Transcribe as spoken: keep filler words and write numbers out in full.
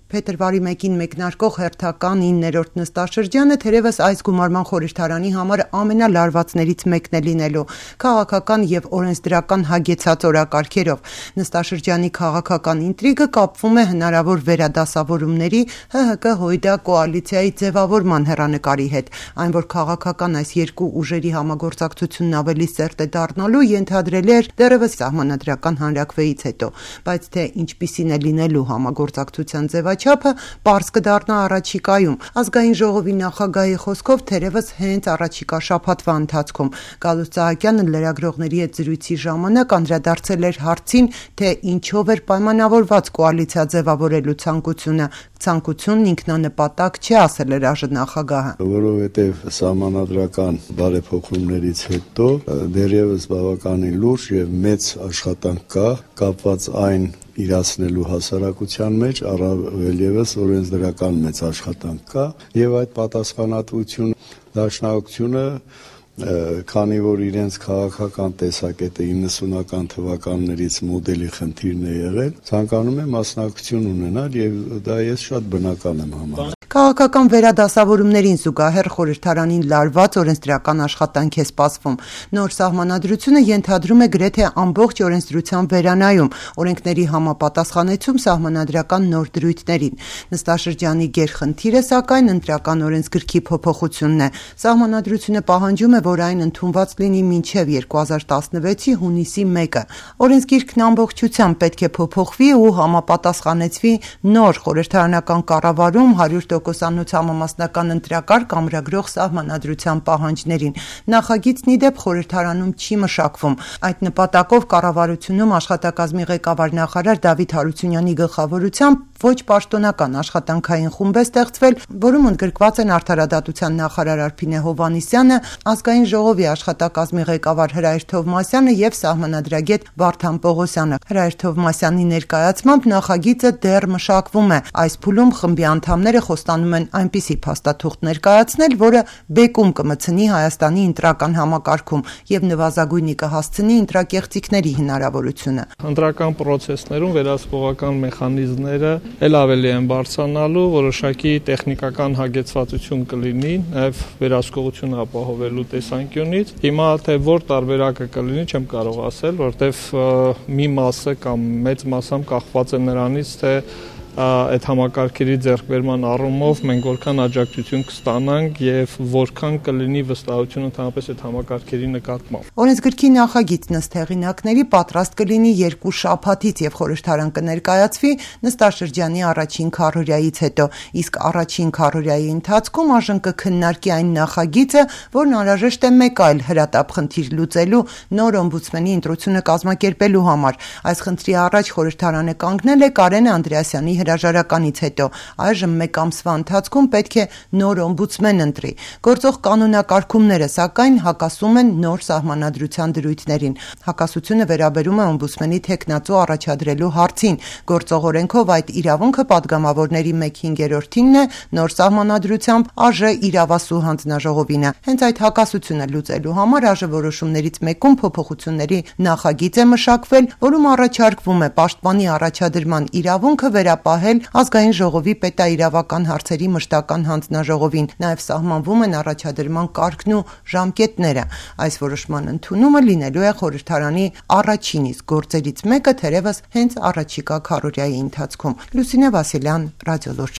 Փետրվարի մեկին մեկնարկող հերթական իններորդ նստաշրջանը թերևս այս գումարման խորհրդարանի համար ամենալարվածներից մեկն է լինելու՝ քաղաքական և օրենսդրական հագեցած օրակարգերով։ Նստաշրջանի քաղաքական ինտրիգը կապվում է հնարավոր վերադասավորումների ՀՀԿ-ՀՅԴ կոալիցիայի ձևավորման հեռանկարի հետ։ Այն, որ քաղաքական այս երկու ուժերի համագործակցությունն ավելի սերտ է դառնալու, ենթադրելի էր դեռևս սահմանադրական հանրաքվեից հետո, բայց թե ինչպիսին է լինելու համագործակցության ձևաչափը չափը պարզ կդառնա առաջիկայում։ Ազգային ժողովի նախագահի խոսքով թերևս հենց առաջիկա շաբաթվա ընթացքում։ Գալուստ Սահակյանը լրագրողների հետ զրույցի ժամանակ անդրադարձել էր հարցին, թե ինչով էր պայմանավորված կոալիցիա ձևավորելու ցանկությունը։ Ցանկությունն ինքնանպատակ չէ, ասել էր ԱԺ նախագահը։ Որովհետև սահմանադրական բարեփոխումներից հետո դեռևս բավականին լուրջ և մեծ աշխատանք կա կապված այն իրացնելու հասարակության մեջ, առավել ևս օրենսդրական մեծ աշխատանք կա եւ այդ պատասխանատվությունը դաշնակցությունը, քանի որ իրենց քաղաքական տեսակետը իննսունական թվականներից մոդելի խնդիրն է եղել, ցանկանում է մասնակցություն ունենալ եւ դա ես շատ բնական եմ համարում։ Քաղաքական վերադասավորումներին զուգահեռ խորհրդարանին լարված օրենսդրական աշխատանք է սպասվում։ Նոր սահմանադրությունը ենթադրում է գրեթե ամբողջ օրենսդրության վերանայում, օրենքների համապատասխանեցում սահմանադրական նոր դրույթներին։ Նստաշրջանի գերխնդիրը, սակայն, ընտրական օրենսգրքի փոփոխությունն է։ Սահմանադրությունը պահանջում է, որ այն ընդունված լինի մինչև երկու հազար տասնվեցի հունիսի մեկը։ Օրենսգիրքն ամբողջությամբ պետք է փոփոխվի ու համապատասխանեցվի նոր խորհրդարանական կառավարում հարյուր տոկոսանոց համամասնական ընտրակարգ ամրագրող սահմանադրության պահանջներին։ Նախագիծն ի դեպ խորհրդարանում չի մշակվում։ Այդ նպատակով կառավարությունում աշխատակազմի ղեկավար նախարար Դավիթ Հարությունյանի գլխավորությամբ ոչ պաշտոնական աշխատանքային խումբ է ստեղծվել, որում ընդգրկված են արդարադատության նախարար Արփինե Հովհաննիսյանը, ազգային ժողովի աշխատակազմի ղեկավար Հրայր Թովմասյանը եւ սահմանադրագետ Վարդան Պողոսյանը։ Հրայր Թովմասյանի ներկայացմամբ նախագիծը դեռ մշակվում է։ Այս փուլում խմբի անդամները խոստանում են այնպիսի փաստաթուղթ ներկայացնել, որը բեկում կմտցնի Հայաստանի ընտրական համակարգում եւ նվազագույնի կհասցնի ընտրակեղծիքների հնարավորությունը։ Ընտրական պրոցեսներում վերահսկողական մեխանիզմները ել ավելի են բարձրանալու, որոշակի տեխնիկական հագեցվածություն կլինի նաեւ վերահսկողությունը ապահովելու տեսանկյունից։ Հիմա թե որ տարբերակը կլինի, չեմ կարող ասել, որտեվ մի մասը կամ մեծ մասամբ կախված է նրանից, թե այդ համակարգերի ձեռքբերման առումով մենք որքան աջակցություն կստանանք եւ որքան կլինի վստահություն ընդհանրապես այդ համակարգերի նկատմամբ։ Օրենսգրքի նախագիծն ըստ հեղինակների պատրաստ կլինի երկու շաբաթից եւ խորհրդարան կներկայացվի նստաշրջանի առաջին քառօրյայից հետո, իսկ առաջին քառօրյայի ընթացքում ԱԺ կքննարկի այն նախագիծը, որն անհրաժեշտ է մեկ այլ հրատապ խնդիր լուծելու նոր օմբուդսմենի ընտրությունը կազմակերպելու համար։ Այս խնդրի առաջ խորհրդարանը կանգնել է Կարեն Անդրեասյանի հրաժարականից հետո։ Այժմ մեկ ամսվա ընթացքում պետք է նոր օմբուդսմեն ընտրի։ Գործող կանոնակարգումները, սակայն, հակասում են նոր սահմանադրության դրույթներին։ Հակասությունը վերաբերում է օմբուդսմենի թեկնածու առաջադրելու հարցին։ Գործող օրենքով այդ իրավունքը պատգամավորների մեկ հինգերորդինն է, նոր սահմանադրությամբ ԱԺ իրավասու հանձնաժողովին է։ Հենց այդ հակասությունը լուծելու համար ԱԺ որոշումներից մեկում փոփոխությունների նախագիծ է մշակվել, որում առաջարկվում է պաշտպանի առաջադրման իրավունքը վերապահել ազգային ժողովի պետաիրավական հարցերի մշտական հանձնաժողովին։ Նաև սահմանվում են առաջադրման կարգն ու ժամկետները։ Այս որոշման ընդունումը լինելու է խորհրդարանի առաջին իսկ գործերից մեկը թերևս հենց առաջիկա քառօրյայի ընթացքում։ Լուսինե Վասիլյան, Ռադիոլուրջ։